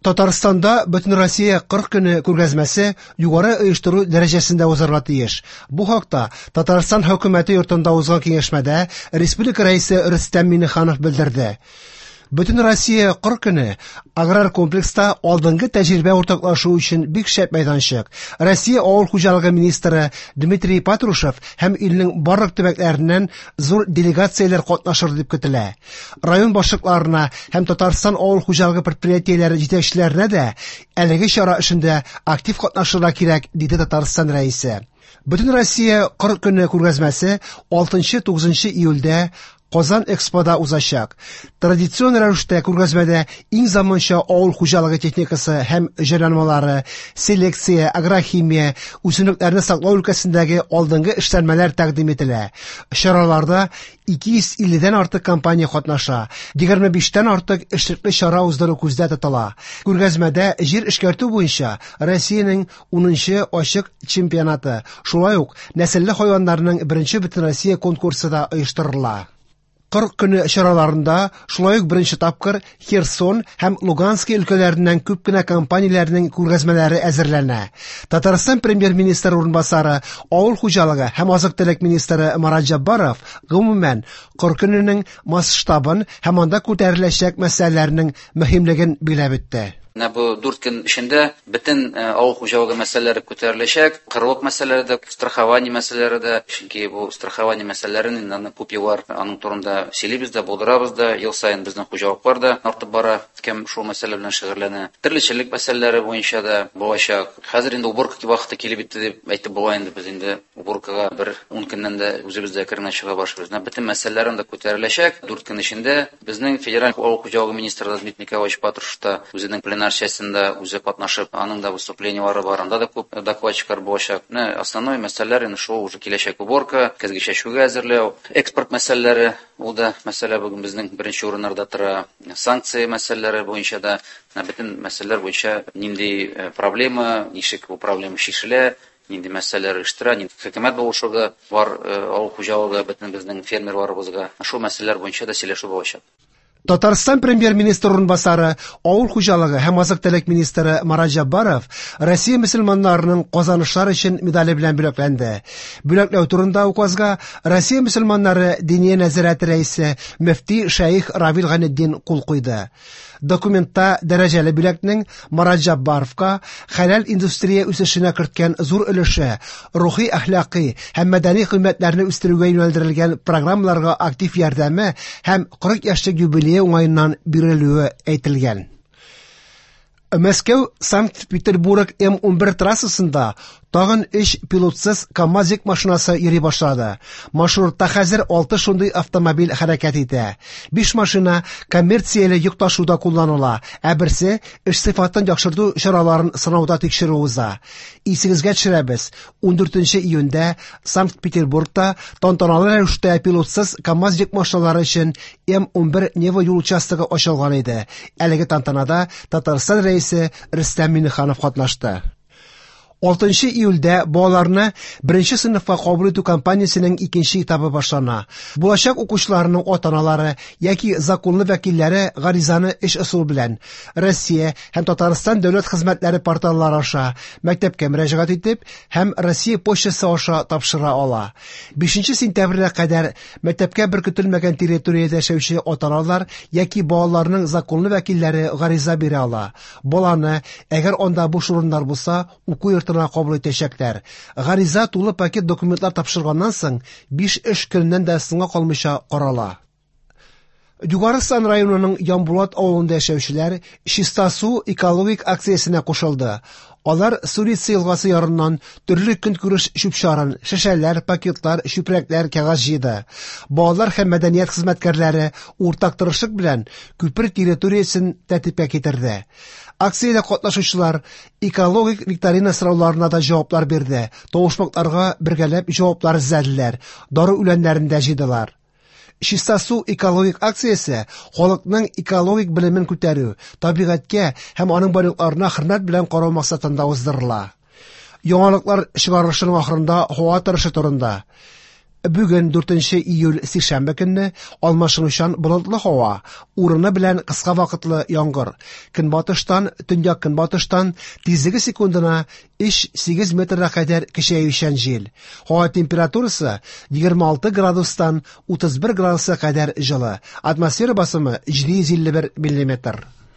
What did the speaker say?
Татарстанда Бөтенроссия кыр көне күргәзмәсе югары оештыру дәрәҗәсендә узарга тиеш. Бу хакта Татарстан хөкүмәте йортында узган киңәшмәдә республика Рәисе Рөстәм Миңнеханов белдерде. Бөтенроссия кыр көне аграр комплекста алдынгы тәҗрибә уртаклашу өчен бик шәп мәйданчык. Россия авыл хуҗалыгы министры Дмитрий Патрушев һәм илнең барлык төбәкләреннән зур делегацияләр катнашыр дип көтелә. Район башлыкларына һәм Татарстан авыл хуҗалыгы предприятиеләре җитәкчеләренә дә әлеге чара эшендә актив катнашырга кирәк, диде Татарстан Рәисе. Бөтенроссия кыр көне күргәзмәсе 6-9 июльдә Казан Экспода узачак. Традицион рәвештә күргәзмәдә иң заманча авыл хуҗалыгы техникасы һәм җайланмалары, селекция, агрохимия, үсемлекләрне саклау өлкәсендәге алдынгы эшләнмәләр тәкъдим ителә. Чараларда 250дән артык компания катнаша. 25тән артык эшлекле чара уздыру күздә тотыла. Күргәзмәдә җир эшкәртү буенча Россиянең 10нчы ачык чемпионаты, шулай ук нәселле хайваннарның беренче бөтенроссия конкурсы да оештырыла. Кыр көне чараларында шулай ук беренче тапкыр Херсон һәм Луганский өлкәләреннән күп кенә компанияләрнең күргәзмәләре әзерләнә. Татарстан премьер-министры урынбасары, авыл хуҗалыгы һәм азык-төлек министры Марат Җаббаров гомумән кыр көненең масштабын һәм анда күтәреләчәк мәсьәләләрнең мөһимлеген билгеләп үтте. Менә бу 4 көн эчендә бөтен авыл хуҗалыгы мәсьәләләре күтәреләчәк, кырлык мәсьәләләре дә, страхование мәсьәләләре дә, чөнки бу страхование мәсьәләләрен инде аны күп еллар аның турында сөйлибез дә, булдырабыз да, ел саен безнең хуҗалыклар да артып бара, кем шул мәсьәлә белән шөгыльләнә. Терлекчелек мәсьәләләре буенча да булачак. Хәзер инде уборка вакыты килеп җитте дип әйтеп була инде, без инде уборкага бер 10 көннән дә үзебез дә әкренләп чыга башлыйбыз. Менә бөтен мәсьәләләр анда күтәреләчәк 4 көн эчендә. Безнең федераль авыл хуҗалыгы министры Дмитрий Николаевич Патрушев та үзенең пленар сессиясендә үзе катнашып, аның да выступлениелары бар, анда да күп докладчиклар булачак. Менә основной мәсьәләләр инде шул уже киләчәк уборка, көзге чәчүгә әзерләү, экспорт мәсьәләләре, ул да мәсьәлә бүген безнең беренче урыннарда тора, санкция мәсьәләләре буенча да, менә бөтен мәсьәләләр буенча нинди проблема, ничек бу проблема чишелә, нинди мәсьәләләр оештыра, нинди хөкүмәт булышуы бар авыл хуҗалыгы бөтен безнең фермерларыбызга. Шул мәсьәләләр буенча да сөйләшү булачак. Татарстан премьер-министры урынбасары, авыл хуҗалыгы һәм азык-төлек министры Марат Җаббаров Россия мөселманнарының казанышлар өчен медале белән бүләкләнде. Бүләкләү турында указга Россия мөселманнары Диния нәзарәте рәисе мөфти шәех Равил Гайнетдин кул куйды. Документта дәрәҗәле бүләкнең Марат Җаббаровка хәләл индустрия үсешенә керткән зур өлеше, рухи әхлакый һәм мәдәни кыйммәтләрне үстерүгә юнәлдерелгән программаларга актив ярдәме һәм 40 яшьлек юбилее уңаеннан бирелүе әйтелгән. Мәскәү Санкт-Петербург М11 трассасында тагын 3 пилотсыз КАМАЗ йөк машинасы йөри башлады. Маршрутта хәзер 6 шундый автомобиль хәрәкәт итә. 5 машина коммерцияле йөк ташуда кулланыла, ә берсе эш сыйфатын яхшырту чараларын сынауда тикшерү уза. Исегезгә төшерәбез, 14 июньдә Санкт-Петербургта тантаналы рәвештә пилотсыз КАМАЗ йөк машиналары өчен М11 Нева юл участогы ачылган иде. Әлеге тантанада Татарстан Рәисе Рөстәм Миңнеханов катнашты. 6 июльдә балаларны беренче сыйныфка кабул итү кампаниясенең икенче этабы башлана. Булачак укучыларның ата-аналары яки законлы вәкилләре гаризаны эш ысулы белән Россия һәм Татарстан дәүләт хезмәтләре порталлары аша мәктәпкә мөрәҗәгать итеп һәм Россия почтасы аша тапшыра ала. 5 сентябрьгә кадәр мәктәпкә беркетелмәгән территориядә яшәүче ата-аналар яки балаларның законлы вәкилләре гариза бирә ала. Баланы, әгәр анда буш урыннар булса, уку йортына кабул итәчәкләр. Гариза тулы пакет документлар тапшырганнан соң 5 эш көненнән дә соңга калмыйча карала. Югары Сан районының Ямбулат авылында яшәүчеләр Чиста су экологик акциясенә кушылды. Алар Сулица елгасы ярыннан төрле көнкүреш чүп-чарын, шешәләр, пакетлар, чүпрәкләр, кәгазь җыйды. Балалар һәм мәдәният хезмәткәрләре уртак тырышлык белән күпер территориясен тәртипкә китерде. Акциядә катнашучылар экологик викторина сорауларына да җаваплар бирде. Тавышмакларга бергәләп җаваплар эзләделәр, дару үләннәрен дә җыйдылар. Чиста су экологик акциясе халыкның экологик белемен күтәрү, табигатькә һәм аның байлыкларына хөрмәт белән карау максатында уздырыла. Яңалыклар чыгарылышының ахырында һава торышы турында. Бүген 4 июль сишәмбе көнне алмашынучан болытлы һава, урыны белән кыска вакытлы яңгыр. Көнбатыштан, төньяк-көнбатыштан тизлеге секундына 3-8 метрга кадәр көчәючән җил. Һава температурасы 26 градустан 31 градуска кадәр җылы. Атмосфера басымы 751 миллиметр.